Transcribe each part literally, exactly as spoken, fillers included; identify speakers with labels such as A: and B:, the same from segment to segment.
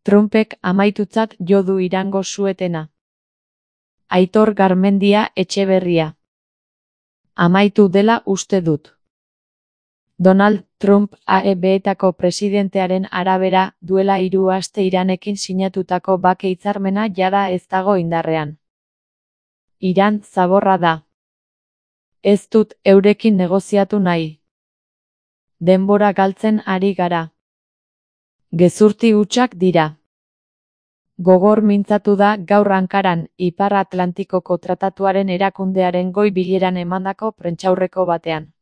A: Trumpek amaitutzat jo du Irango su-etena. Aitor Garmendia Etxeberria. Amaitu dela uste dut. Donald Trump A E B-etako presidentearen arabera, duela hiru aste Iranekin sinatutako bake hitzarmena jada ez dago indarrean. Iran zaborra da. Ez dut eurekin negoziatu nahi. Denbora galtzen ari gara. Gezurti hutsak dira. Gogor mintzatu da gaur Ankaran, Ipar Atlantikoko Tratatuaren erakundearen goi bileran emandako prentsaurreko batean.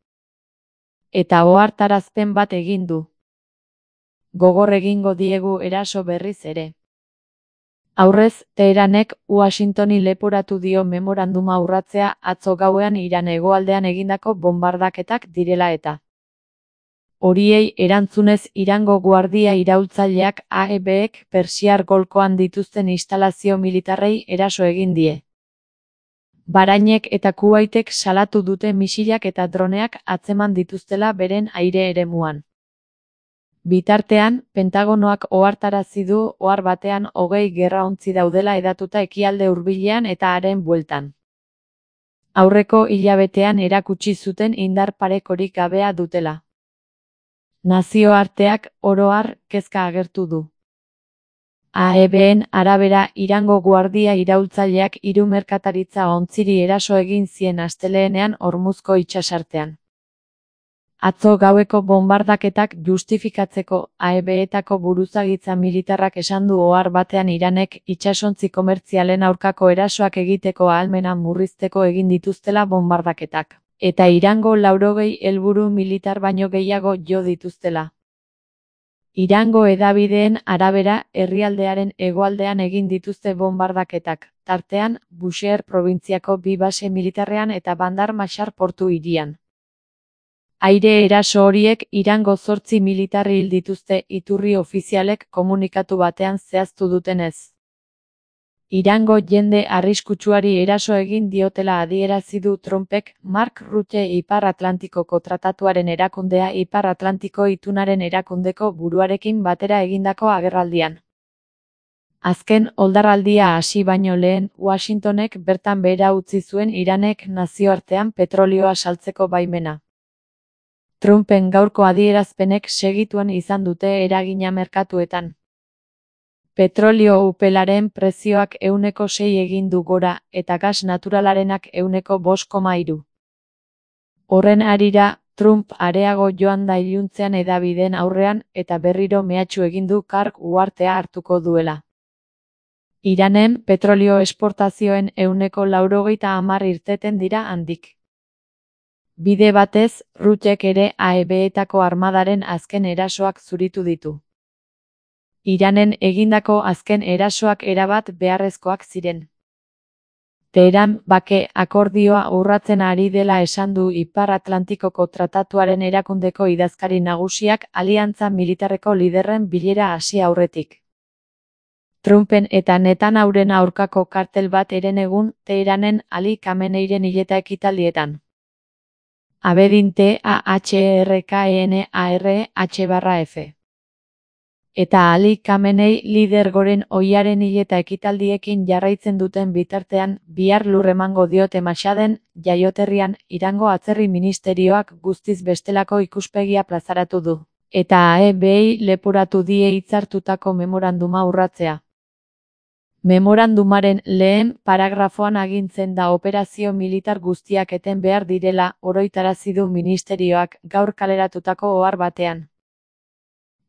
A: Eta ohartarazpen bat egin du. Gogor egingo diegu eraso berriz ere. Aurrez, Teheranek Washingtoni leporatu dio memoranduma urratzea atzo gauean Iran hegoaldean egindako bonbardaketak direla eta. Horiei erantzunez Irango guardia iraultzaileak A E B-ek Persiar golkoan dituzten instalazio militarrei eraso egin die. Bahranek eta Kuwaitek salatu dute misilak eta droneak atzeman dituztela beren aire eremuan. Bitartean, Pentagonoak ohartarazi du ohar batean hogei gerraontzi daudela hedatuta ekialde hurbilean eta haren bueltan. Aurreko hilabetean erakutsi zuten indar parekorik gabea dutela. Nazioarteak oro har kezka agertu du. A E B-en arabera Irango guardia iraultzaileak hiru merkataritza ontziri eraso egin zien astelehenean Hormuzko itsasartean. Atzo gaueko bonbardaketak justifikatzeko A E B-etako buruzagitza militarrak esan du ohar batean Iranek itsasontzi komertzialen aurkako erasoak egiteko ahalmena murrizteko egin dituztela bonbardaketak, eta Irango laurogei helburu militar baino gehiago jo dituztela. Irango hedabideen arabera herrialdearen hegoaldean egin dituzte bonbardaketak, tartean Bushehr probintziako bi base militarrean eta Bandar Mashar portu hirian. Aire eraso horiek Irango zortzi militar hil dituzte iturri ofizialek komunikatu batean zehaztu dutenez. Irango jende arriskutsuari eraso egin diotela adierazi du Trumpek Mark Rutte Ipar Atlantikoko Tratatuaren erakundea Ipar Atlantiko itunaren erakundeko buruarekin batera egindako agerraldian. Azken oldarraldia hasi baino lehen, Washingtonek bertan behera utzi zuen Iranek nazioartean petrolioa saltzeko baimena. Trumpen gaurko adierazpenek segituan izan dute eragina merkatuetan. Petrolio upelaren prezioak ehuneko sei egin du gora, eta gas naturalarenak ehuneko bost koma hiru. Horren harira, Trump areago joan da iluntzean hedabideen aurrean, eta berriro mehatxu egin du karg uhartea hartuko duela. Iranen petrolio esportazioen ehuneko laurogeita hamar irteten dira handik. Bide batez, Ruttek ere A E B-etako armadaren azken erasoak zuritu ditu. Iranen egindako azken erasoak erabat beharrezkoak ziren. Teheran bake akordioa urratzen ari dela esan du Ipar Atlantikoko Tratatuaren erakundeko idazkari nagusiak aliantza militarreko liderren bilera hasi aurretik. Trumpen eta Netanyahuen aurkako kartel bat herenegun Teheranen Ali Khameneiren hileta ekitaldietan. Abedin T A H E R K E N A R H barra F. Eta Ali Khamenei lidergoren ohiaren hileta ekitaldiekin jarraitzen duten bitartean, bihar lur emango diote Mashaden, jaioterrian, Irango atzerri ministerioak guztiz bestelako ikuspegia plazaratu du, eta A E B-ei leporatu die hitzartutako memoranduma urratzea. Memorandumaren lehen paragrafoan agintzen da operazio militar guztiak eten behar direla oroitarazi du ministerioak gaur kaleratutako ohar batean.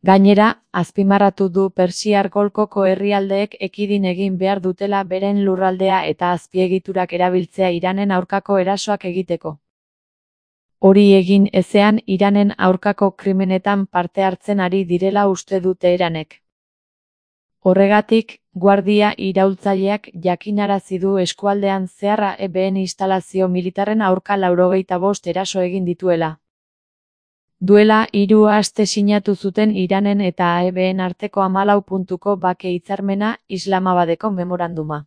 A: Gainera, azpimarratu du Persiar golkoko herrialdeek ekidin egin behar dutela beren lurraldea eta azpiegiturak erabiltzea Iranen aurkako erasoak egiteko. Hori egin ezean Iranen aurkako krimenetan parte hartzen ari direla uste du Teheranek. Horregatik, guardia iraultzaileak jakinarazi du eskualdean zehar A E B-en instalazio militarren aurka laurogeita bost eraso egin dituela. Duela hiru aste sinatu zuten Iranen eta A E B-en arteko hamalau puntuko bake hitzarmena Islamabadeko memoranduma.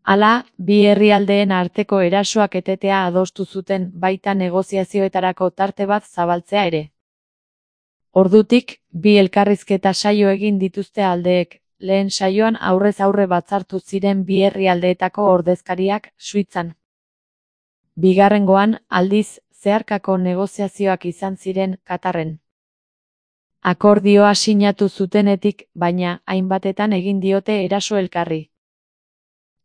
A: Hala, bi herrialdeen arteko erasoak etetea adostu zuten baita negoziazioetarako tarte bat zabaltzea ere. Ordutik, bi elkarrizketa saio egin dituzte aldeek, lehen saioan aurrez aurre batzartu ziren bi herrialdeetako ordezkariak, Suitzan. Bigarrengoan, aldiz, zeharkako negoziazioak izan ziren, Katarren. Akordioa sinatu zutenetik, baina, hainbatetan egin diote eraso elkarri.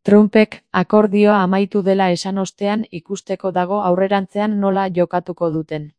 A: Trumpek, akordioa amaitu dela esan ostean ikusteko dago aurrerantzean nola jokatuko duten.